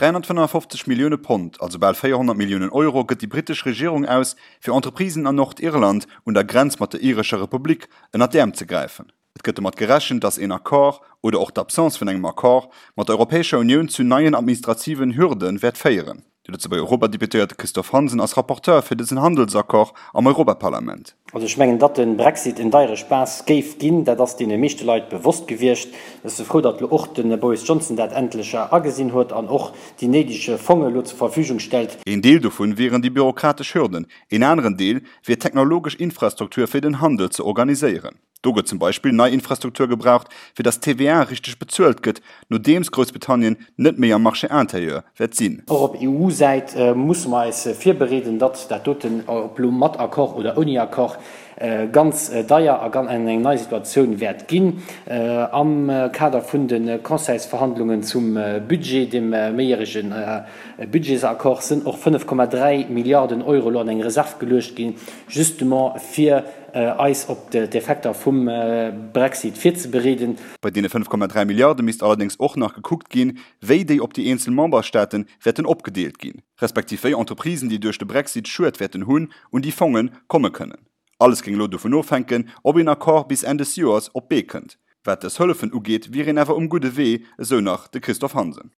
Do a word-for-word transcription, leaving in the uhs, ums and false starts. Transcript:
dräihonnertfënnefofzeg Millioune Pond, also bal véierhonnert Milliounen Euro, gëtt déi brittesch Regierung aus, fir Entreprisen an Nordirland un der Grenz mat der irescher Republik ënner d'Äerm ze gräifen. Et gëtt domat gerechent, datt een Accord, oder och d'Absence vun engem Accord, mat der Europäescher Unioun zu neien administrativen Hürde wäert féieren. De Lëtzebuerger Europadeputéierte Christophe Hansen ass Rapporteur fir dësen Handelsaccord am Europaparlament. Also ech mengen, datt de Brexit en deiere Spaass géif ginn, dat ass deene meeschte Leit bewosst gewiescht. Ech si frou, datt elo och de Boris Johnson dat endlech agesinn huet an och déi néideg Fonge elo zur Verfügung stellt. Een Deel dovun wieren déi bürokratesch Hürden, een aneren Deel wier d'technologesch Infrastruktur fir den Handel ze organiséieren. Do gëtt zum Beispill nei Infrastruktur gebraucht, fir datt d'TVA richteg bezuelt gëtt, nodeems Groussbritannien net méi am Marché intérieur wäert sinn. Och op E U-Säit musse mer eis virbereeden, datt dat doten, ob elo mat Accord oder ouni Accord, ganz deier a ganz eng nei Situatioun wäert ginn. Am Kader vun de Conseilsverhandlungen zum Budget, dem méijärege Budgetsaccord, sinn och fënnef Komma dräi Milliarden Euro elo an eng Reserv geluecht ginn, justement fir eis op d'Effekter vum Brexit virzebereeden. Bei deene fënnef Komma dräi Milliarde misst allerdéngs och nach gekuckt ginn, wéi déi op déi eenzel Memberstaate wäerten opgedeelt ginn, respektiv wéi Entreprisen, déi duerch de Brexit Schued wäerten hunn, un déi Fonge komme kënnen. Alles géing elo dovun ofhänken, ob een Accord bis Enn des Joers op d'Bee kënnt. Wat dës Hëllefen ugeet, wier een awer um gudde Wee, esou nach de Christophe Hansen.